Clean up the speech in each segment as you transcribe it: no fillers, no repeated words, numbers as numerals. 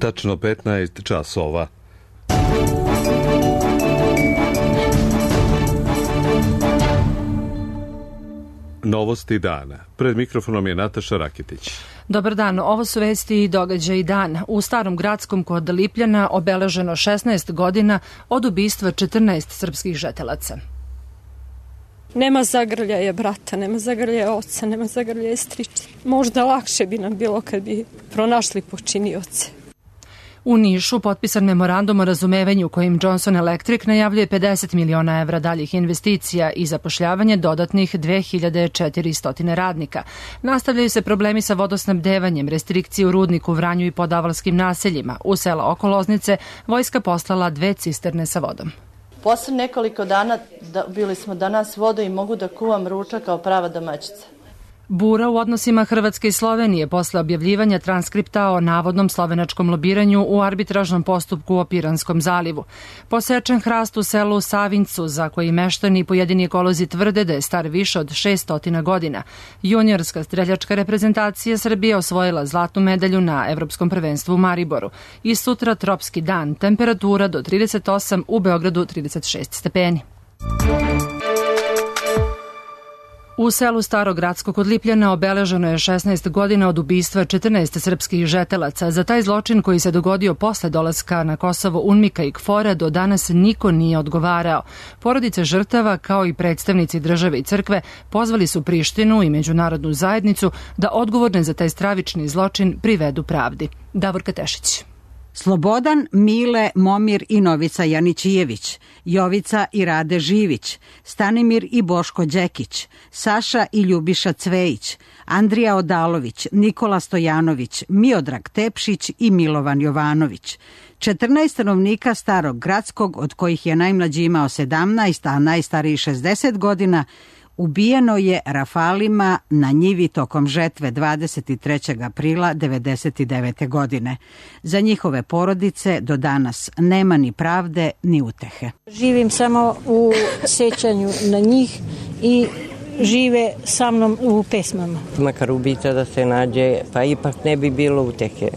Tačno 15 časova. Novosti dana. Pred mikrofonom je Nataša Rakitić. Dobar dan, ovo su vesti i događaji dan. U Starom Gradskom kod Lipljana obeleženo 16 godina od ubistva 14 srpskih žetelaca. Nema zagrljaja brata, nema zagrljaja oca, nema zagrljaja striča. Možda lakše bi nam bilo kad bi pronašli počinioce. U Nišu potpisan memorandum o razumevanju kojim Johnson Electric najavljuje 50 miliona evra daljih investicija i zapošljavanje dodatnih 2400 radnika. Nastavljaju se problemi sa vodosnabdevanjem, restrikcije u Rudniku, Vranju i podavalskim naseljima. U sela oko Loznice vojska poslala 2 cisterne sa vodom. Posle nekoliko dana bili smo danas vodu i mogu da kuvam ručak kao prava domaćica. Bura u odnosima Hrvatske i Slovenije posle objavljivanja transkripta o navodnom slovenačkom lobiranju u arbitražnom postupku o Piranskom zalivu. Posečen hrast u selu Savincu, za koji meštani i pojedini ekolozi tvrde da je star više od 600 godina. Juniorska streljačka reprezentacija Srbije osvojila zlatnu medalju na Evropskom prvenstvu u Mariboru. I sutra tropski dan, temperatura do 38, u Beogradu 36 stepeni. U selu Starogradsko kod Lipljana obeleženo je 16 godina od ubistva 14 srpskih žetelaca. Za taj zločin koji se dogodio posle dolaska na Kosovo UNMIK-a i KFOR-a do danas niko nije odgovarao. Porodice žrtava kao i predstavnici države i crkve pozvali su Prištinu i međunarodnu zajednicu da odgovorne za taj stravični zločin privedu pravdi. Davorka Tešić. Slobodan, Mile, Momir i Novica Janićijević, Jovica i Rade Živić, Stanimir i Boško Đekić, Saša i Ljubiša Cvejić, Andrija Odalović, Nikola Stojanović, Miodrag Tepšić i Milovan Jovanović. 14 stanovnika Starog Gradskog, od kojih je najmlađi imao 17, a najstariji 60 godina, ubijeno je rafalima na njivi tokom žetve 23. aprila 1999. godine. Za njihove porodice do danas nema ni pravde ni utehe. Živim samo u sećanju na njih i žive sa mnom u pesmama. Makar ubica da se nađe, pa ipak ne bi bilo utehe.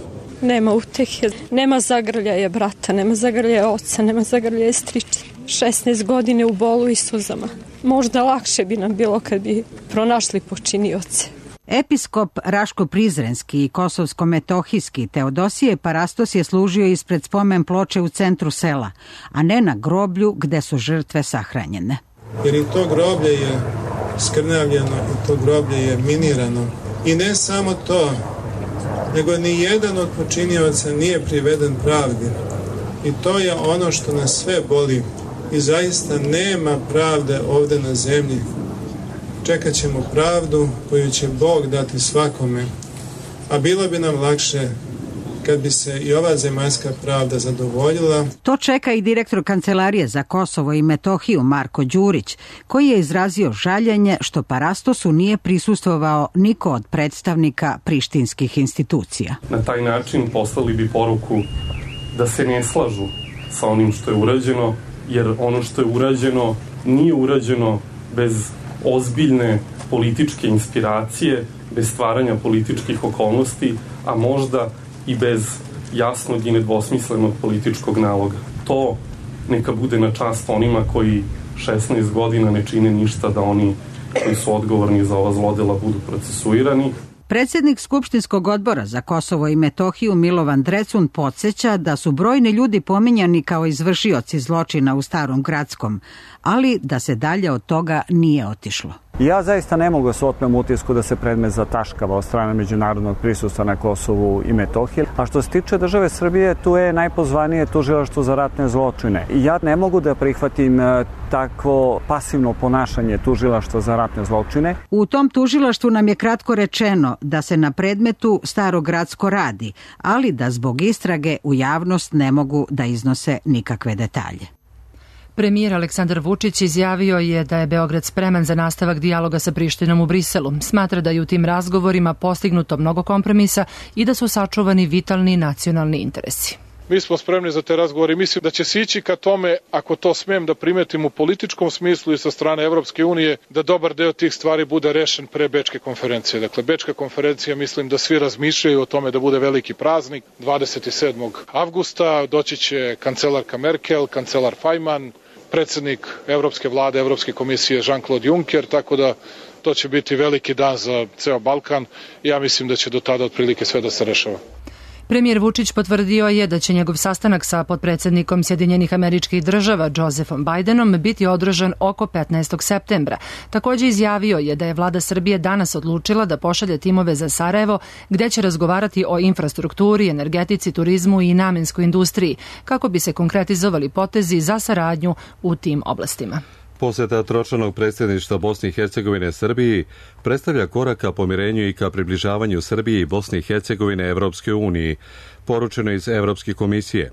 Nema utehe, nema zagrljaja brata, nema zagrljaja oca, nema zagrljaja striča. 16 godine u bolu i suzama. Možda lakše bi nam bilo kad bi pronašli počinioce. Episkop Raško-Prizrenski i Kosovsko-Metohijski Teodosije Parastos je služio ispred spomen ploče u centru sela, a ne na groblju gde su žrtve sahranjene. Jer i to groblje je skrnavljeno i to groblje je minirano. I ne samo to, nego ni jedan od počinioca nije priveden pravdi. I to je ono što nas sve boli. I zaista nema pravde ovde na zemlji. Čekat ćemo pravdu koju će Bog dati svakome. A bilo bi nam lakše kad bi se i ova zemaljska pravda zadovoljila. To čeka i direktor Kancelarije za Kosovo i Metohiju Marko Đurić, koji je izrazio žaljenje što Parastosu nije prisustvovao niko od predstavnika prištinskih institucija. Na taj način poslali bi poruku da se ne slažu sa onim što je urađeno, jer ono što je urađeno nije urađeno bez ozbiljne političke inspiracije, bez stvaranja političkih okolnosti, a možda i bez jasnog i nedvosmislenog političkog naloga. To neka bude na čast onima koji 16 godina ne čine ništa da oni koji su odgovorni za ova zlodela budu procesuirani. Predsjednik Skupštinskog odbora za Kosovo i Metohiju Milovan Drecun podsjeća da su brojni ljudi pominjani kao izvršioci zločina u Starom Gradskom, ali da se dalje od toga nije otišlo. Ja zaista ne mogu se otmem utisku da se predmet zataškava od strane međunarodnog prisustva na Kosovu i Metohiji. A što se tiče države Srbije, tu je najpozvanije tužilaštvo za ratne zločine. Ja ne mogu da prihvatim takvo pasivno ponašanje tužilaštva za ratne zločine. U tom tužilaštvu nam je kratko rečeno da se na predmetu Starogradsko radi, ali da zbog istrage u javnost ne mogu da iznose nikakve detalje. Premijer Aleksandar Vučić izjavio je da je Beograd spreman za nastavak dijaloga sa Prištinom u Briselu. Smatra da je u tim razgovorima postignuto mnogo kompromisa i da su sačuvani vitalni nacionalni interesi. Mi smo spremni za te razgovore i mislim da će se ići ka tome, ako to smem da primetim u političkom smislu i sa strane Evropske unije, da dobar deo tih stvari bude rešen pre Bečke konferencije. Dakle, Bečka konferencija, mislim da svi razmišljaju o tome da bude veliki praznik. 27. avgusta doći će kancelarka Merkel, kancelar Fajman, predsednik Evropske vlade, Evropske komisije Jean-Claude Juncker, tako da to će biti veliki dan za ceo Balkan. Ja mislim da će do tada otprilike sve da se rešava. Premijer Vučić potvrdio je da će njegov sastanak sa potpredsednikom Sjedinjenih Američkih Država Josephom Bidenom biti održan oko 15. septembra. Takođe izjavio je da je vlada Srbije danas odlučila da pošalje timove za Sarajevo gde će razgovarati o infrastrukturi, energetici, turizmu i namenskoj industriji kako bi se konkretizovali potezi za saradnju u tim oblastima. Poseta tročlanog predsjedništva Bosne i Hercegovine Srbiji predstavlja korak ka pomirenju i ka približavanju Srbije i Bosne i Hercegovine Evropske uniji, poručeno iz Evropske komisije.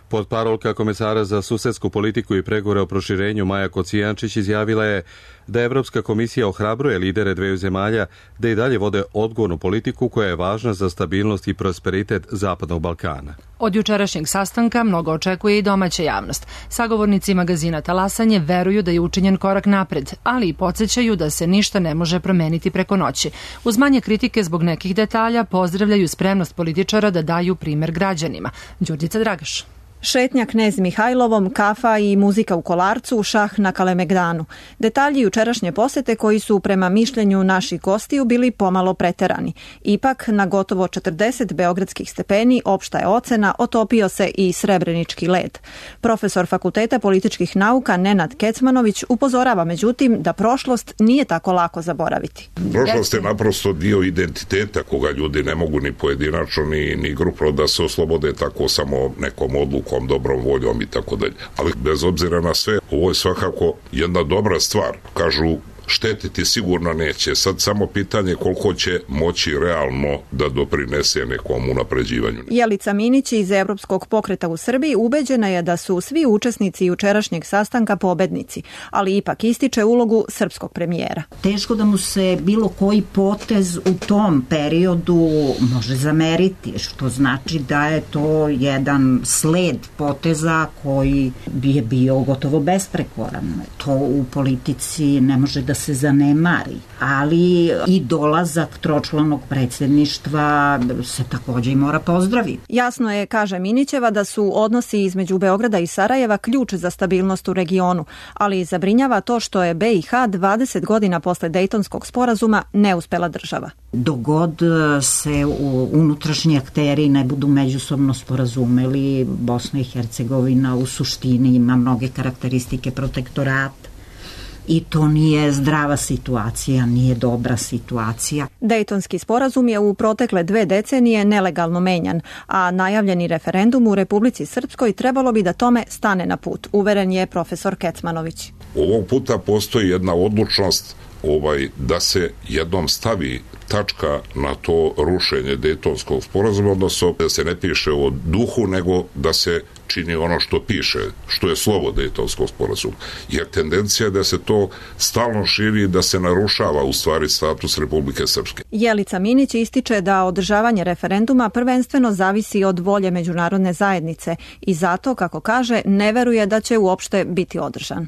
Potparolka komesara za susedsku politiku i pregovore o proširenju Maja Kocijančić izjavila je da Evropska komisija ohrabruje lidere dveju zemalja da i dalje vode odgovornu politiku koja je važna za stabilnost i prosperitet Zapadnog Balkana. Od jučerašnjeg sastanka mnogo očekuje i domaća javnost. Sagovornici magazina Talasanje veruju da je učinjen korak napred, ali i podsjećaju da se ništa ne može promeniti preko noći. Uz manje kritike zbog nekih detalja pozdravljaju spremnost političara da daju primer građanima. Đurđica Dragaš. Šetnja Knez Mihajlovom, kafa i muzika u Kolarcu, šah na Kalemegdanu. Detalji jučerašnje posete koji su prema mišljenju naših gostiju bili pomalo preterani. Ipak, na gotovo 40 beogradskih stepeni opšta je ocena, otopio se i srebrenički led. Profesor Fakulteta političkih nauka Nenad Kecmanović upozorava međutim da prošlost nije tako lako zaboraviti. Prošlost je naprosto dio identiteta koga ljudi ne mogu ni pojedinačno ni grupno da se oslobode tako samo nekom odlukom, dobrom voljom i tako dalje. Ali bez obzira na sve, ovo je svakako jedna dobra stvar. Kažu, štetiti sigurno neće. Sad samo pitanje koliko će moći realno da doprinese nekom unapređivanju. Jelica Minić iz Evropskog pokreta u Srbiji ubeđena je da su svi učesnici jučerašnjeg sastanka pobednici, ali ipak ističe ulogu srpskog premijera. Teško da mu se bilo koji potez u tom periodu može zameriti, što znači da je to jedan sled poteza koji je bio gotovo besprekoran. To u politici ne može da se zanemari, ali i dolazak tročlanog predsjedništva se također i mora pozdraviti. Jasno je, kaže Minićeva, da su odnosi između Beograda i Sarajeva ključ za stabilnost u regionu, ali zabrinjava to što je BiH 20 godina posle Dejtonskog sporazuma neuspela država. Dogod se unutrašnji akteri ne budu međusobno sporazumeli, Bosna i Hercegovina u suštini ima mnoge karakteristike protektorata. I to nije zdrava situacija, nije dobra situacija. Dejtonski sporazum je u protekle 2 decenije nelegalno menjan, a najavljeni referendum u Republici Srpskoj trebalo bi da tome stane na put, uveren je profesor Kecmanović. Ovog puta postoji jedna odlučnost da se jednom stavi tačka na to rušenje Dejtonskog sporazuma, odnosno da se ne piše o duhu, nego da se čini ono što piše, što je slovo Dejtonskog sporazuma. Jer tendencija je da se to stalno širi i da se narušava u stvari status Republike Srpske. Jelica Minić ističe da održavanje referenduma prvenstveno zavisi od volje međunarodne zajednice i zato, kako kaže, ne veruje da će uopšte biti održan.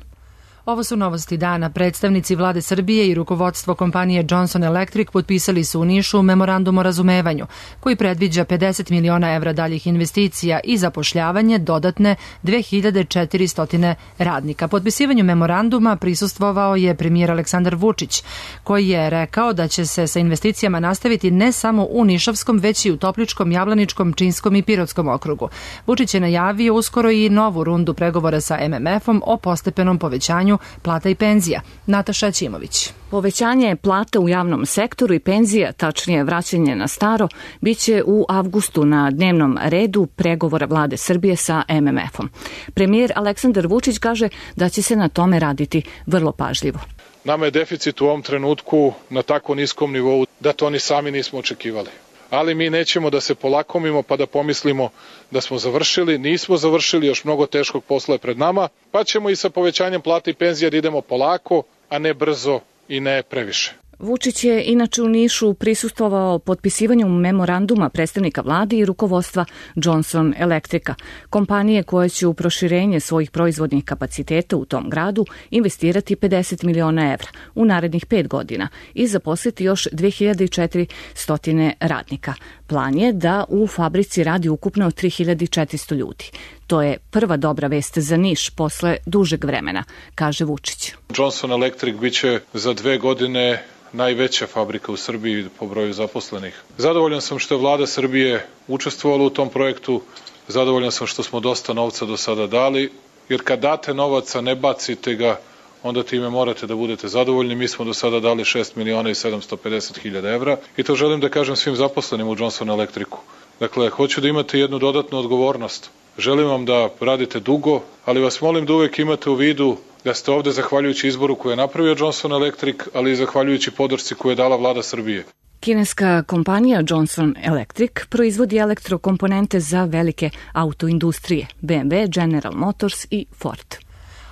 Ovo su novosti dana. Predstavnici vlade Srbije i rukovodstvo kompanije Johnson Electric potpisali su u Nišu memorandum o razumevanju, koji predviđa 50 miliona evra daljih investicija i zapošljavanje dodatne 2400 radnika. Potpisivanju memoranduma prisustvovao je premijer Aleksandar Vučić, koji je rekao da će se sa investicijama nastaviti ne samo u Nišavskom, već i u Topličkom, Jablaničkom, Činskom i Pirotskom okrugu. Vučić je najavio uskoro i novu rundu pregovora sa MMF-om o postepenom povećanju plata i penzija. Nataša Ćimović. Povećanje plata u javnom sektoru i penzija, tačnije vraćanje na staro, biće u avgustu na dnevnom redu pregovora vlade Srbije sa MMF-om. Premijer Aleksandar Vučić kaže da će se na tome raditi vrlo pažljivo. Nama je deficit u ovom trenutku na tako niskom nivou da to ni sami nismo očekivali. Ali mi nećemo da se polakomimo pa da pomislimo da smo završili. Nismo završili, još mnogo teškog posla je pred nama, pa ćemo i sa povećanjem plata i penzija da idemo polako, a ne brzo i ne previše. Vučić je inače u Nišu prisustvovao potpisivanju memoranduma predstavnika vlade i rukovodstva Johnson Electrica, kompanije koja će u proširenje svojih proizvodnih kapaciteta u tom gradu investirati 50 miliona evra u narednih 5 godina i zaposliti još 2400 radnika. Plan je da u fabrici radi ukupno 3400 ljudi. To je prva dobra vest za Niš posle dužeg vremena, kaže Vučić. Johnson Electric biće za 2 godine najveća fabrika u Srbiji po broju zaposlenih. Zadovoljan sam što je vlada Srbije učestvovala u tom projektu, zadovoljan sam što smo dosta novca do sada dali, jer kad date novaca, ne bacite ga, onda time morate da budete zadovoljni. Mi smo do sada dali 6 miliona i 750 hiljada evra i to želim da kažem svim zaposlenim u Johnson Electricu. Dakle, hoću da imate jednu dodatnu odgovornost. Želim vam da radite dugo, ali vas molim da uvek imate u vidu da ste ovde zahvaljujući izboru koje je napravio Johnson Electric, ali i zahvaljujući podršci koju je dala vlada Srbije. Kineska kompanija Johnson Electric proizvodi elektrokomponente za velike autoindustrije BMW, General Motors i Ford.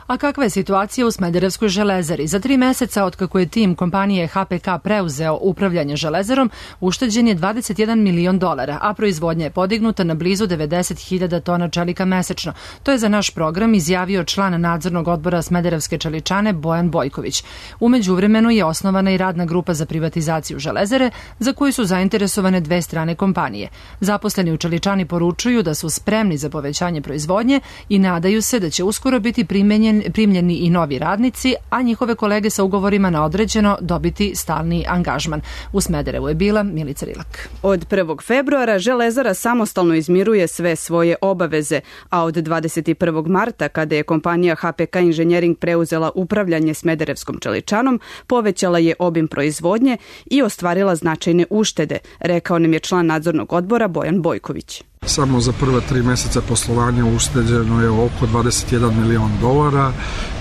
A kakva je situacija u Smederevskoj železari? Za 3 meseca od kako je tim kompanije HPK preuzeo upravljanje železarom, ušteđen je $21 milion, a proizvodnja je podignuta na blizu 90.000 tona čelika mesečno. To je za naš program izjavio član nadzornog odbora Smederevske čeličane Bojan Bojković. U međuvremenu je osnovana i radna grupa za privatizaciju železare, za koju su zainteresovane 2 strane kompanije. Zaposleni u čeličani poručuju da su spremni za povećanje proizvodnje i nadaju se da će uskoro biti primljeni i novi radnici, a njihove kolege sa ugovorima na određeno dobiti stalni angažman. U Smederevu je bila Milica Rilak. Od 1. februara železara samostalno izmiruje sve svoje obaveze, a od 21. marta, kada je kompanija HPK Inženjering preuzela upravljanje Smederevskom čeličanom, povećala je obim proizvodnje i ostvarila značajne uštede, rekao nam je član nadzornog odbora Bojan Bojković. Samo za prva 3 meseca poslovanja ušteđeno je oko $21 milion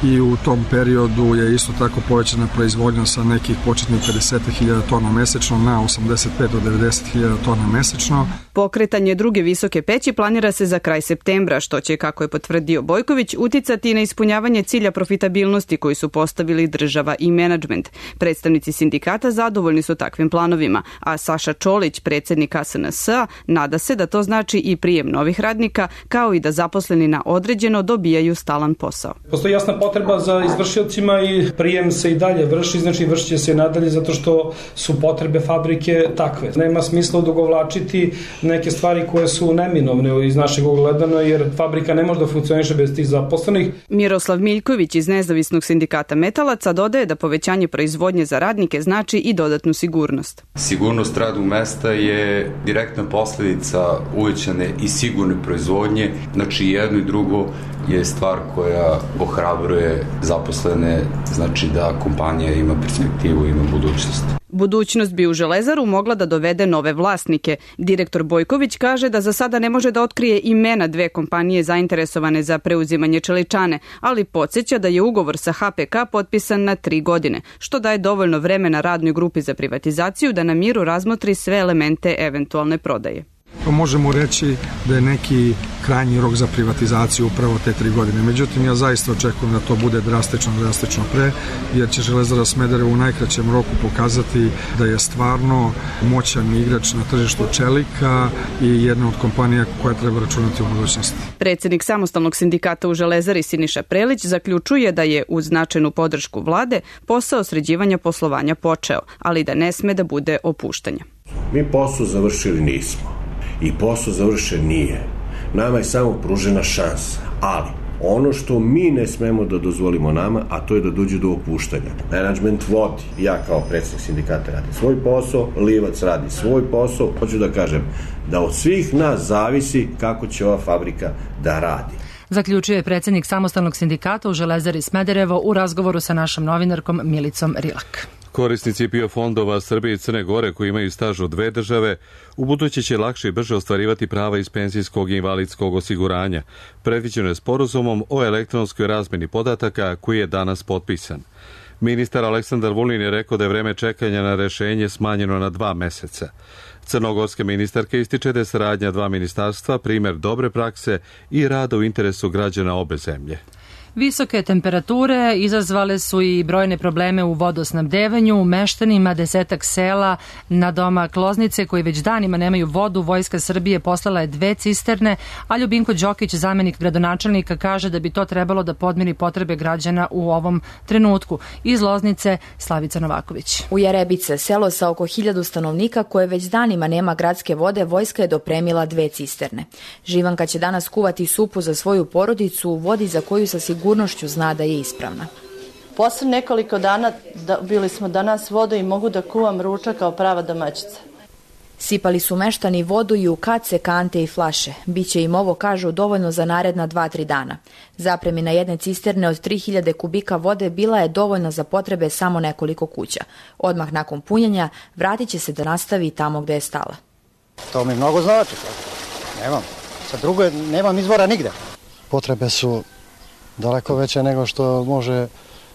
i u tom periodu je isto tako povećana proizvodnja sa nekih početnih 50.000 tona mesečno na 85 do 90.000 tona mesečno. Pokretanje druge visoke peći planira se za kraj septembra, što će, kako je potvrdio Bojković, uticati na ispunjavanje cilja profitabilnosti koji su postavili država i menadžment. Predstavnici sindikata zadovoljni su takvim planovima, a Saša Čolić, predsednik SNS-a, nada se da to znači i prijem novih radnika, kao i da zaposleni na određeno dobijaju stalan posao. Postoji jasna potreba za izvršiocima i prijem se i dalje vrši, znači vršit će se nadalje zato što su potrebe fabrike takve. Nema smisla odugovlačiti neke stvari koje su neminovne iz našeg ogledana, jer fabrika ne može da funkcioniše bez tih zaposlenih. Miroslav Miljković iz Nezavisnog sindikata metalaca dodaje da povećanje proizvodnje za radnike znači i dodatnu sigurnost. Sigurnost radnog mesta je direktna posledica uvećane i sigurne proizvodnje, znači jedno i drugo je stvar koja ohrabruje zaposlene, znači da kompanija ima perspektivu, ima budućnost. Budućnost bi u železaru mogla da dovede nove vlasnike. Direktor Bojković kaže da za sada ne može da otkrije imena 2 kompanije zainteresovane za preuzimanje čeličane, ali podsjeća da je ugovor sa HPK potpisan na 3 godine, što daje dovoljno vremena radnoj grupi za privatizaciju da na miru razmotri sve elemente eventualne prodaje. Možemo reći da je neki krajnji rok za privatizaciju upravo te 3 godine. Međutim, ja zaista očekujem da to bude drastično pre, jer će Železara Smederevo u najkraćem roku pokazati da je stvarno moćan igrač na tržištu čelika i jedna od kompanija koja treba računati u budućnosti. Predsednik samostalnog sindikata u Železari Siniša Prelić zaključuje da je uz značajnu podršku vlade posao sređivanja poslovanja počeo, ali da ne sme da bude opuštanja. Mi posao završili nismo. I posao završen nije. Nama je samo pružena šansa, ali ono što mi ne smemo da dozvolimo nama, a to je da dođe do opuštanja. Menadžment vodi, ja kao predsednik sindikata radim svoj posao, Livac radi svoj posao. Hoću da kažem da od svih nas zavisi kako će ova fabrika da radi. Zaključuje predsednik samostalnog sindikata u Železari Smederevo u razgovoru sa našom novinarkom Milicom Rilak. Korisnici PIO fondova Srbije i Crne Gore koji imaju staž u 2 države ubuduće će lakše i brže ostvarivati prava iz penzijskog i invalidskog osiguranja. Predviđeno je sporazumom o elektronskoj razmeni podataka koji je danas potpisan. Ministar Aleksandar Vulin je rekao da je vreme čekanja na rešenje smanjeno na 2 meseca. Crnogorska ministarka ističe da je saradnja 2 ministarstva primer dobre prakse i rada u interesu građana obe zemlje. Visoke temperature izazvale su i brojne probleme u vodosnabdevanju. Meštanima 10 sela na domak Loznice koji već danima nemaju vodu, Vojska Srbije poslala je 2 cisterne, a Ljubinko Đokić, zamenik gradonačelnika, kaže da bi to trebalo da podmiri potrebe građana u ovom trenutku. Iz Loznice, Slavica Novaković. U Jarebice, selo sa oko 1000 stanovnika koje već danima nema gradske vode, Vojska je dopremila 2 cisterne. Živanka će danas kuvati supu za svoju porodicu u vodi za koju sa sigurnošću zna da je ispravna. Posle nekoliko dana bili smo danas vodu i mogu da kuvam ručak kao prava domaćica. Sipali su meštani vodu i u kace, kante i flaše. Biće im ovo, kažu, dovoljno za naredna 2-3 dana. Zapremina jedne cisterne od 3000 kubika vode bila je dovoljna za potrebe samo nekoliko kuća. Odmah nakon punjenja vratit će se da nastavi tamo gde je stala. To mi mnogo znači. Sa druge nemam izvora nigde. Potrebe su daleko veće nego što može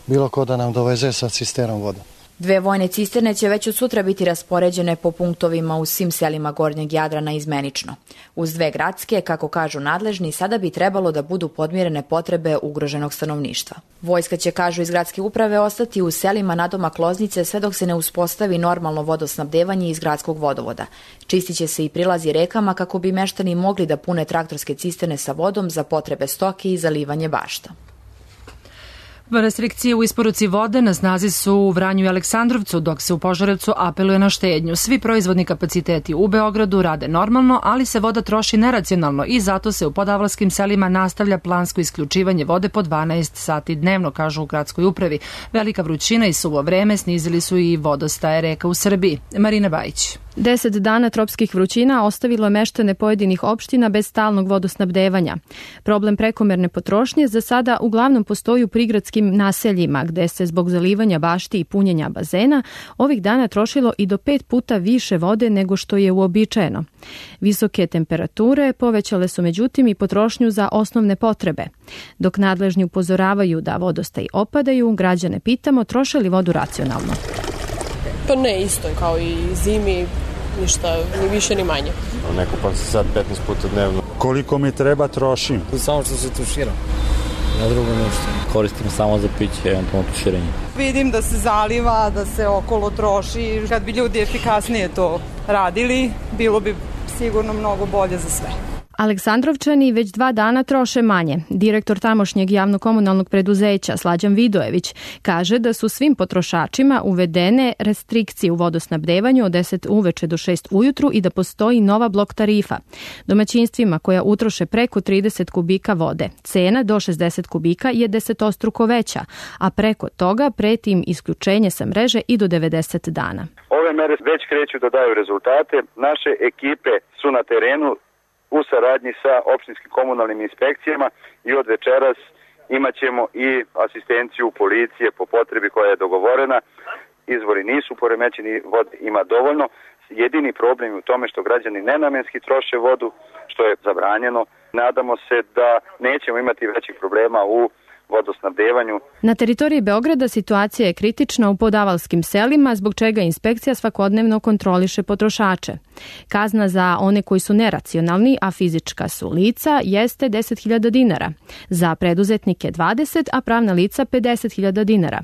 bilo ko da nam doveze sa cisternom vodom. 2 vojne cisterne će već od sutra biti raspoređene po punktovima u svim selima Gornjeg Jadrana izmenično. Uz 2 gradske, kako kažu nadležni, sada bi trebalo da budu podmirene potrebe ugroženog stanovništva. Vojska će, kažu iz gradske uprave, ostati u selima nadomak Loznice sve dok se ne uspostavi normalno vodosnabdevanje iz gradskog vodovoda. Čistit će se i prilazi rekama kako bi meštani mogli da pune traktorske cisterne sa vodom za potrebe stoke i zalivanje bašta. Restrikcije u isporuci vode na snazi su u Vranju i Aleksandrovcu, dok se u Požarevcu apeluje na štednju. Svi proizvodni kapaciteti u Beogradu rade normalno, ali se voda troši neracionalno i zato se u podavlarskim selima nastavlja plansko isključivanje vode po 12 sati dnevno, kažu u gradskoj upravi. Velika vrućina i suvo vreme snizili su i vodostaje reka u Srbiji. Marina Bajić. 10 dana tropskih vrućina ostavilo je meštane pojedinih opština bez stalnog vodosnabdevanja. Problem prekomerne potrošnje za sada uglavnom postoji u prigradskim naseljima, gde se zbog zalivanja bašti i punjenja bazena ovih dana trošilo i do 5 puta više vode nego što je uobičajeno. Visoke temperature povećale su međutim i potrošnju za osnovne potrebe. Dok nadležni upozoravaju da vodostaji opadaju, građane pitamo troše li vodu racionalno. Pa ne, isto je kao i zimi, ništa, ni više ni manje. Ne kupam se sad 15 puta dnevno. Koliko mi treba trošim? Samo što se tuširam, na drugo nešto. Koristim samo za piće, eventualno tuširanje. Vidim da se zaliva, da se okolo troši. Kad bi ljudi efikasnije to radili, bilo bi sigurno mnogo bolje za sve. Aleksandrovčani već 2 dana troše manje. Direktor tamošnjeg javno-komunalnog preduzeća Slađan Vidojević kaže da su svim potrošačima uvedene restrikcije u vodosnabdevanju od 10 uveče do 6 ujutru i da postoji nova blok tarifa. Domaćinstvima koja utroše preko 30 kubika vode, cena do 60 kubika je 10-struko veća, a preko toga preti im isključenje sa mreže i do 90 dana. Ove mere već kreću da daju rezultate. Naše ekipe su na terenu u saradnji sa opštinskim komunalnim inspekcijama i od večeras imat ćemo i asistenciju policije po potrebi koja je dogovorena. Izvori nisu poremećeni, vode ima dovoljno. Jedini problem je u tome što građani nenamenski troše vodu, što je zabranjeno. Nadamo se da nećemo imati većih problema u vodosnabdevanju. Na teritoriji Beograda situacija je kritična u podavalskim selima, zbog čega inspekcija svakodnevno kontroliše potrošače. Kazna za one koji su neracionalni, a fizička su lica, jeste 10.000 dinara. Za preduzetnike 20, a pravna lica 50.000 dinara.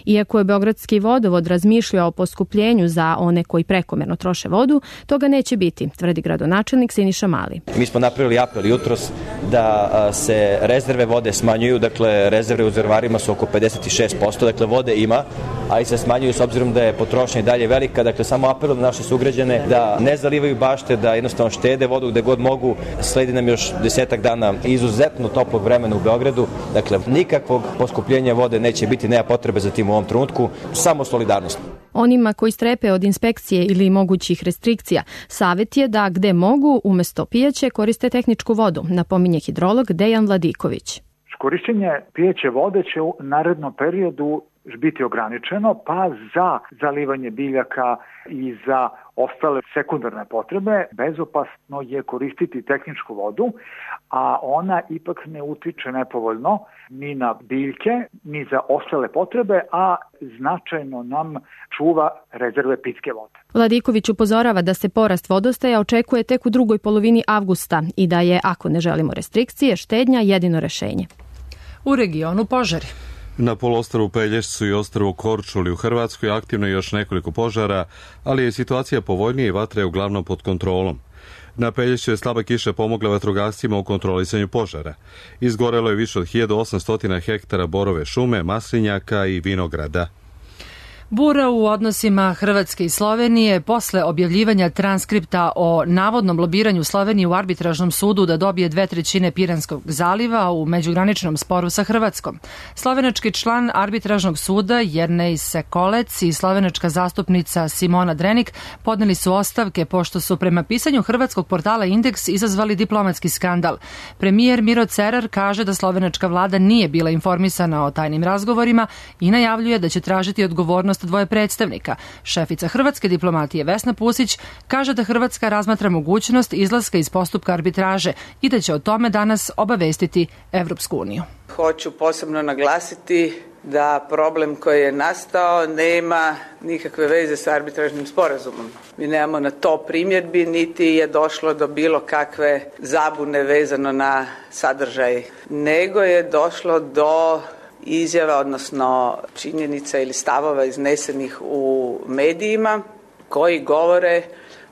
Iako je Beogradski vodovod razmišljao o poskupljenju za one koji prekomerno troše vodu, toga neće biti, tvrdi gradonačelnik Siniša Mali. Mi smo napravili apel jutros da se rezerve vode smanjuju, dakle rezerve u rezervarima su oko 56%, dakle vode ima, ali se smanjuju s obzirom da je potrošnja i dalje velika, dakle samo apel na naše sugrađane da ne zalivaju bašte, da jednostavno štede vodu gde god mogu. Sledi nam još 10 dana izuzetno toplog vremena u Beogradu, dakle nikakvog poskupljenja vode neće biti, nema potrebe za tim u ovom trenutku, samo solidarnost. Onima koji strepe od inspekcije ili mogućih restrikcija, savjet je da gde mogu umesto pijeće koriste tehničku vodu, napominje hidrolog Dejan Vladiković. Korišćenje pijeće vode će u narednom periodu biti ograničeno, pa za zalivanje biljaka i za ostale sekundarne potrebe bezopasno je koristiti tehničku vodu, a ona ipak ne utiče nepovoljno ni na biljke, ni za ostale potrebe, a značajno nam čuva rezerve pitke vode. Vladiković upozorava da se porast vodostaja očekuje tek u drugoj polovini avgusta i da je, ako ne želimo restrikcije, štednja jedino rešenje. U regionu požari. Na poluostrvu Pelješcu i ostrvu Korčuli u Hrvatskoj aktivno je još nekoliko požara, ali je situacija povoljnija i vatra je uglavnom pod kontrolom. Na Pelješću je slaba kiša pomogla vatrogascima u kontrolisanju požara. Izgorelo je više od 1800 hektara borove šume, maslinjaka i vinograda. Bura u odnosima Hrvatske i Slovenije posle objavljivanja transkripta o navodnom lobiranju Slovenije u arbitražnom sudu da dobije 2/3 Piranskog zaliva u međugraničnom sporu sa Hrvatskom. Slovenački član arbitražnog suda Jernej Sekolec i slovenačka zastupnica Simona Drenik podneli su ostavke pošto su prema pisanju hrvatskog portala Indeks izazvali diplomatski skandal. Premijer Miro Cerar kaže da slovenačka vlada nije bila informisana o tajnim razgovorima i najavljuje da će tražiti odgovornost dvoje predstavnika. Šefica hrvatske diplomatije Vesna Pusić kaže da Hrvatska razmatra mogućnost izlaska iz postupka arbitraže i da će o tome danas obavestiti Evropsku uniju. Hoću posebno naglasiti da problem koji je nastao nema nikakve veze sa arbitražnim sporazumom. Mi nemamo na to primjedbi, niti je došlo do bilo kakve zabune vezano na sadržaj, nego je došlo do izjava, odnosno činjenica ili stavova iznesenih u medijima koji govore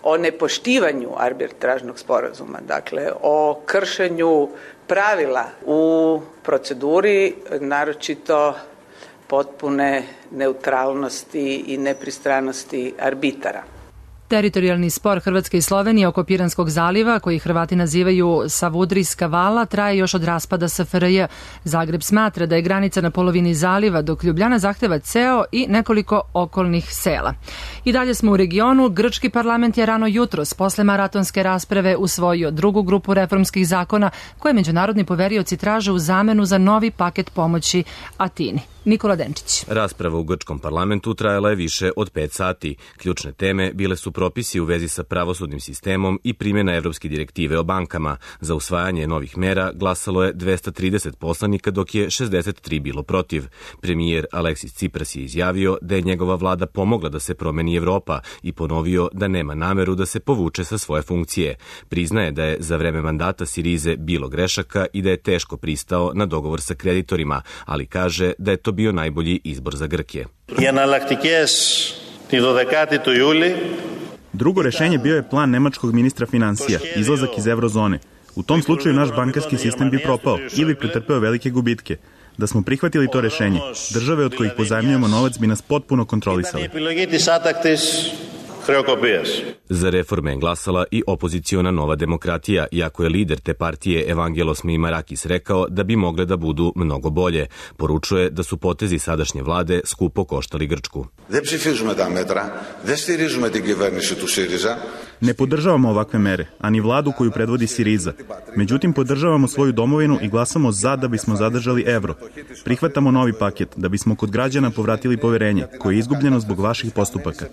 o nepoštivanju arbitražnog sporazuma, dakle o kršenju pravila u proceduri, naročito potpune neutralnosti i nepristranosti arbitara. Teritorijalni spor Hrvatske i Slovenije oko Piranskog zaliva, koji Hrvati nazivaju Savudrijska vala, traje još od raspada SFRJ. Zagreb smatra da je granica na polovini zaliva, dok Ljubljana zahteva ceo i nekoliko okolnih sela. I dalje smo u regionu. Grčki parlament je rano jutros, posle maratonske rasprave, usvojio drugu grupu reformskih zakona koje međunarodni poverioci traže u zamenu za novi paket pomoći Atini. Nikola Denčić. Rasprava u grčkom parlamentu trajala je više od 5 sati. Ključne teme bile su propisi u vezi sa pravosudnim sistemom i primjena evropske direktive o bankama. Za usvajanje novih mera glasalo je 230 poslanika, dok je 63 bilo protiv. Premijer Aleksis Tsipras je izjavio da je njegova vlada pomogla da se promeni Evropa i ponovio da nema nameru da se povuče sa svoje funkcije. Priznaje da je za vreme mandata Sirize bilo grešaka i da je teško pristao na dogovor sa kreditorima, ali kaže da je to bio najbolji izbor za Grke. Drugo rešenje bio je plan nemačkog ministra finansija, izlazak iz eurozone. U tom slučaju naš bankarski sistem bi propao ili pretrpeo velike gubitke. Da smo prihvatili to rešenje, države od kojih pozajmljujemo novac bi nas potpuno kontrolisali. Za reforme je glasala i opoziciona Nova demokratija, iako je lider te partije Evangelos Mimarakis rekao da bi mogle da budu mnogo bolje. Poručuje da su potezi sadašnje vlade skupo koštali Grčku. Ne podržavamo ovakve mere, ani vladu koju predvodi Siriza. Međutim, podržavamo svoju domovinu i glasamo za da bismo zadržali evro. Prihvatamo novi paket da bismo kod građana povratili poverenje, koje je izgubljeno zbog vaših postupaka.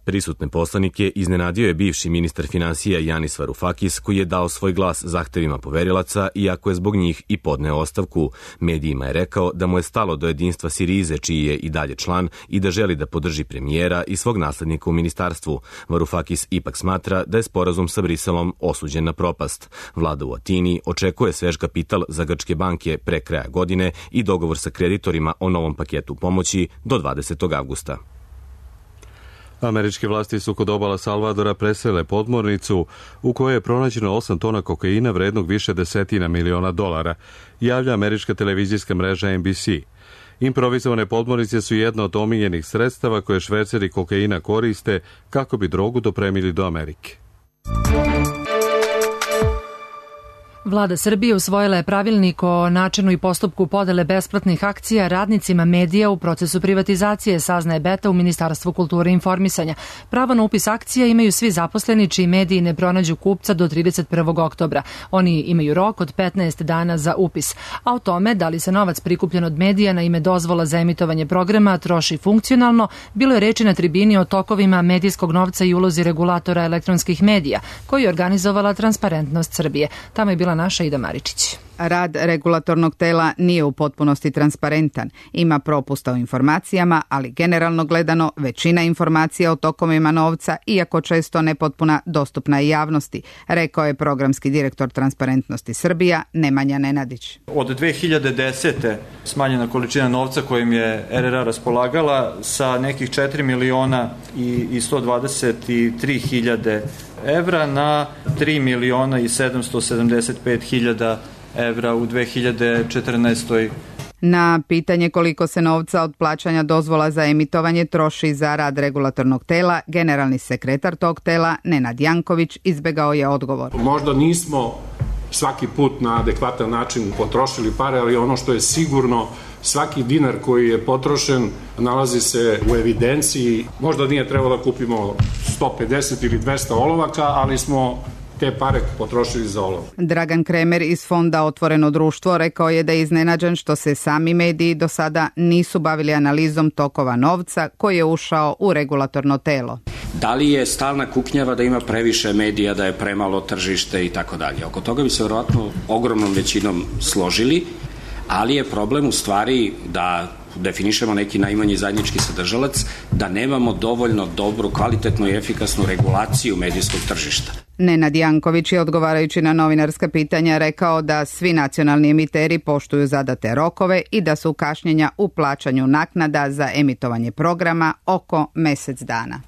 Prisutne poslanike iznenadio je bivši ministar finansija Janis Varoufakis, koji je dao svoj glas zahtevima poverilaca, iako je zbog njih i podneo ostavku. Medijima je rekao da mu je stalo do jedinstva Sirize, čiji je i dalje član, i da želi da podrži premijera i svog naslednika u ministarstvu. Varoufakis ipak smatra da je sporazum sa Briselom osuđen na propast. Vlada u Atini očekuje svež kapital za grčke banke pre kraja godine i dogovor sa kreditorima o novom paketu pomoći do 20. avgusta. Američke vlasti su kod obala Salvadora presele podmornicu u kojoj je pronađeno 8 tona kokaina vrednog više desetina miliona dolara, javlja američka televizijska mreža NBC. Improvizovane podmornice su jedna od omiljenih sredstava koje šverceri kokaina koriste kako bi drogu dopremili do Amerike. Vlada Srbije usvojila je pravilnik o načinu i postupku podele besplatnih akcija radnicima medija u procesu privatizacije, saznaje Beta u Ministarstvu kulture i informisanja. Pravo na upis akcija imaju svi zaposleni čiji mediji ne pronađu kupca do 31. oktobra. Oni imaju rok od 15 dana za upis. A o tome da li se novac prikupljen od medija na ime dozvola za emitovanje programa troši funkcionalno, bilo je reči na tribini o tokovima medijskog novca i ulozi regulatora elektronskih medija, koji je organizovala Transparentnost Srbije. Tamo je bila naša Ida Maričić. Rad regulatornog tela nije u potpunosti transparentan. Ima propusta u informacijama, ali generalno gledano većina informacija o tokovima novca, iako često nepotpuna, dostupna i javnosti, rekao je programski direktor Transparentnosti Srbija Nemanja Nenadić. Od 2010. smanjena količina novca kojim je RRA raspolagala sa nekih 4 miliona i 123 hiljade evra na 3 miliona i 775 hiljada evra u 2014. Na pitanje koliko se novca od plaćanja dozvola za emitovanje troši za rad regulatornog tela, generalni sekretar tog tela, Nenad Janković, izbegao je odgovor. Možda nismo svaki put na adekvatan način potrošili pare, ali ono što je sigurno, svaki dinar koji je potrošen nalazi se u evidenciji. Možda nije trebalo da kupimo 150 ili 200 olovaka, ali smo te pare potrošili za olovo. Dragan Kremer iz fonda Otvoreno društvo rekao je da je iznenađen što se sami mediji do sada nisu bavili analizom tokova novca koji je ušao u regulatorno telo. Da li je stalna kuknjava da ima previše medija, da je premalo tržište i tako dalje. Oko toga bi se vjerojatno ogromnom većinom složili, ali je problem u stvari da definišemo neki najmanji zajednički sadržalac, da nemamo dovoljno dobru, kvalitetnu i efikasnu regulaciju medijskog tržišta. Nenad Janković je odgovarajući na novinarska pitanja rekao da svi nacionalni emiteri poštuju zadate rokove i da su kašnjenja u plaćanju naknada za emitovanje programa oko mesec dana.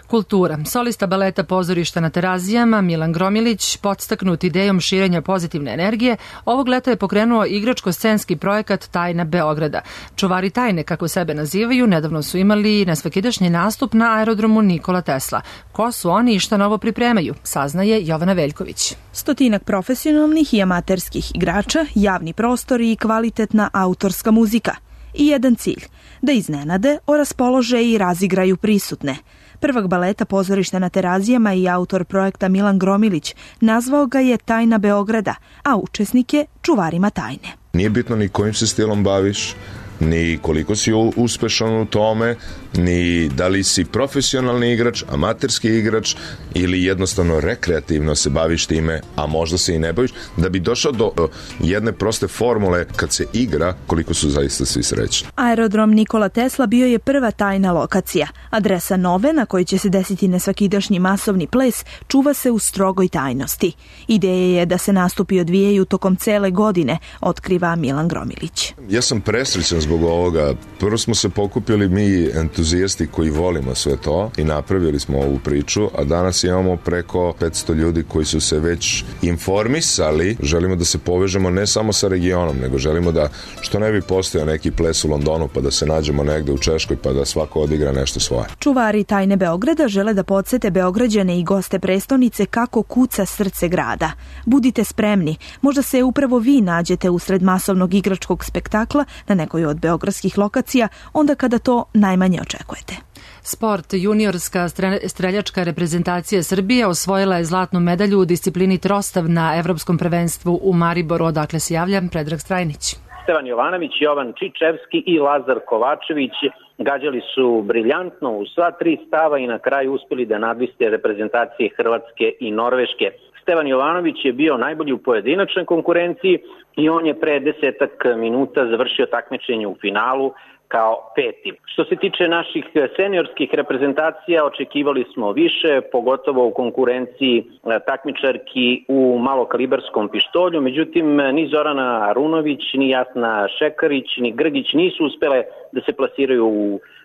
Kultura. Solista baleta Pozorišta na Terazijama Milan Gromilić, podstaknut idejom širenja pozitivne energije, ovog leta je pokrenuo igračko-scenski projekat Tajna Beograda. Čuvari tajne, kako sebe nazivaju, nedavno su imali nesvakidašnji nastup na aerodromu Nikola Tesla. Ko su oni i šta novo pripremaju, saznaje Jovana Veljković. 100 profesionalnih i amaterskih igrača, javni prostori i kvalitetna autorska muzika. I jedan cilj, da iznenade, oraspolože i razigraju prisutne. Prvak baleta Pozorišta na Terazijama i autor projekta Milan Gromilić nazvao ga je Tajna Beograda, a učesnike čuvarima tajne. Nije bitno ni kojim se stilom baviš, ni koliko si uspešan u tome, ni da li si profesionalni igrač, amaterski igrač ili jednostavno rekreativno se baviš time, a možda se i ne baviš, da bi došao do jedne proste formule kad se igra, koliko su zaista svi srećni. Aerodrom Nikola Tesla bio je prva tajna lokacija. Adresa nove, na kojoj će se desiti nesvakidašnji masovni ples, čuva se u strogoj tajnosti. Ideja je da se nastupi odvijaju tokom cele godine, otkriva Milan Gromilić. Ja sam presrećan zbog ovoga. Prvo smo se pokupili mi entuzijasti koji volimo sve to i napravili smo ovu priču, a danas imamo preko 500 ljudi koji su se već informisali. Želimo da se povežemo ne samo sa regionom, nego želimo da što ne bi postojao neki ples u Londonu pa da se nađemo negde u Češkoj pa da svako odigra nešto svoje. Čuvari Tajne Beograda žele da podsete Beograđane i goste prestonice kako kuca srce grada. Budite spremni, možda se upravo vi nađete usred masovnog igračkog spektakla na nekoj od beogradskih lokacija, onda kada to najmanje očekujete. Sport. Juniorska streljačka reprezentacija Srbije osvojila je zlatnu medalju u disciplini trostav na Evropskom prvenstvu u Mariboru. Odakle se javlja Predrag Strajnić. Stevan Jovanović, Jovan Čičevski i Lazar Kovačević gađali su briljantno u sva tri stava i na kraju uspjeli da nadviste reprezentacije Hrvatske i Norveške. Stevan Jovanović je bio najbolji u pojedinačnoj konkurenciji i on je pre 10 minuta završio takmičenje u finalu kao peti. Što se tiče naših seniorskih reprezentacija, očekivali smo više, pogotovo u konkurenciji takmičarki u malokalibarskom pištolju, međutim ni Zorana Arunović, ni Jasna Šekarić, ni Grgić nisu uspele da se plasiraju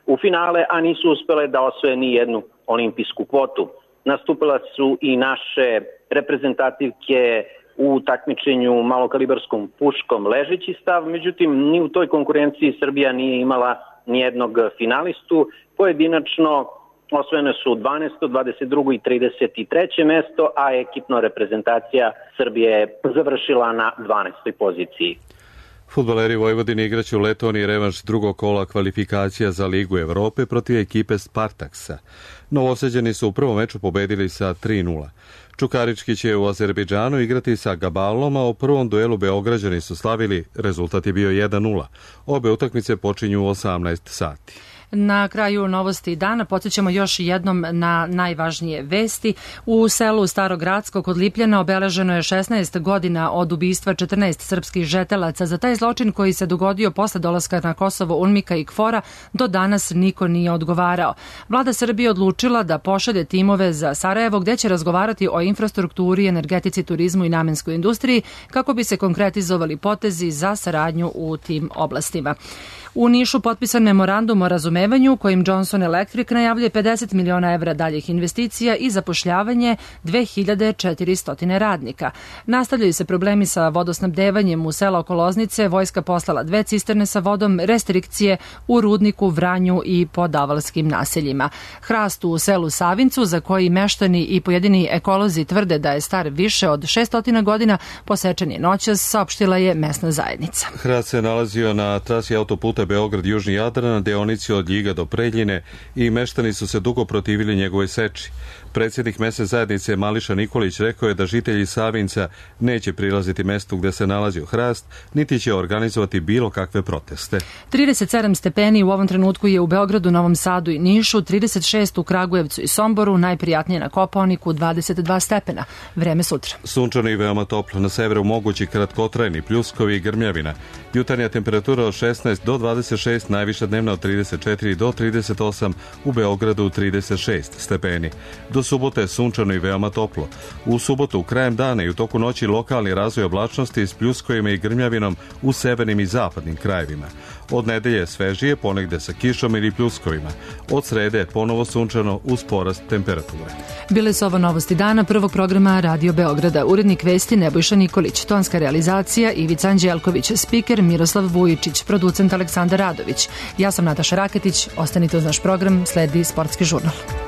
u finale, a nisu uspele da osvoje ni jednu olimpijsku kvotu. Nastupila su i naše reprezentativke u takmičenju malokalibarskom puškom ležeći stav, međutim ni u toj konkurenciji Srbija nije imala nijednog finalistu. Pojedinačno osvojene su 12., 22. i 33. mesto, a ekipno reprezentacija Srbije je završila na 12. poziciji. Fudbaleri Vojvodine igraće u Letoniji revanš drugog kola kvalifikacija za Ligu Evrope protiv ekipe Spartaksa. Novosađani su u prvom meču pobedili sa 3:0. Čukarički će u Azerbejdžanu igrati sa Gabalom, a u prvom duelu Beograđani su slavili, rezultat je bio 1:0. Obe utakmice počinju u 18 sati. Na kraju novosti dana podsjećamo još jednom na najvažnije vesti. U selu Starogradsko kod Lipljana obeleženo je 16 godina od ubistva 14 srpskih žetelaca. Za taj zločin koji se dogodio posle dolaska na Kosovo UNMIK-a i KFOR-a do danas niko nije odgovarao. Vlada Srbije odlučila da pošalje timove za Sarajevo gde će razgovarati o infrastrukturi, energetici, turizmu i namenskoj industriji kako bi se konkretizovali potezi za saradnju u tim oblastima. U Nišu potpisan memorandum o razumevanju kojim Johnson Electric najavljuje 50 miliona evra daljih investicija i zapošljavanje 2400 radnika. Nastavljaju se problemi sa vodosnabdevanjem u sela oko Loznice, vojska poslala 2 cisterne sa vodom, restrikcije u Rudniku, Vranju i po davalskim naseljima. Hrast u selu Savincu, za koji meštani i pojedini ekolozi tvrde da je star više od 600 godina, posečen je noćas, saopštila je mesna zajednica. Hrast se nalazio na trasi autoputa Beograd-Južni Jadran na deonici od Ljiga do Preljine i meštani su se dugo protivili njegove seči. Predsjednik mesne zajednice Mališa Nikolić rekao je da žitelji Savinca neće prilaziti mestu gde se nalazio hrast, niti će organizovati bilo kakve proteste. 37 stepeni u ovom trenutku je u Beogradu, Novom Sadu i Nišu, 36 u Kragujevcu i Somboru, najprijatnije na Kopaoniku 22 stepena. Vreme sutra. Sunčano i veoma toplo, na severu mogući kratkotrajni pljuskovi i grmljavina. Jutarnja temperatura od 16 do 26, najviša dnevna od 34 do 38, u Beogradu 36 stepeni. Do subote sunčano i veoma toplo. U subotu, krajem dana i u toku noći lokalni razvoj oblačnosti s pljuskovima i grmljavinom u severnim i zapadnim krajevima. Od nedelje svežije, ponegde sa kišom ili pljuskovima. Od srede ponovo sunčano uz porast temperature. Bile su ovo novosti dana prvog programa Radio Beograda. Urednik vesti Nebojša Nikolić, tonska realizacija Ivica Anđelković, spiker Miroslav Vujičić, producent Aleksandar Radović. Ja sam Nataša Raketić, ostanite uz naš program, sledi Sportski žurnal.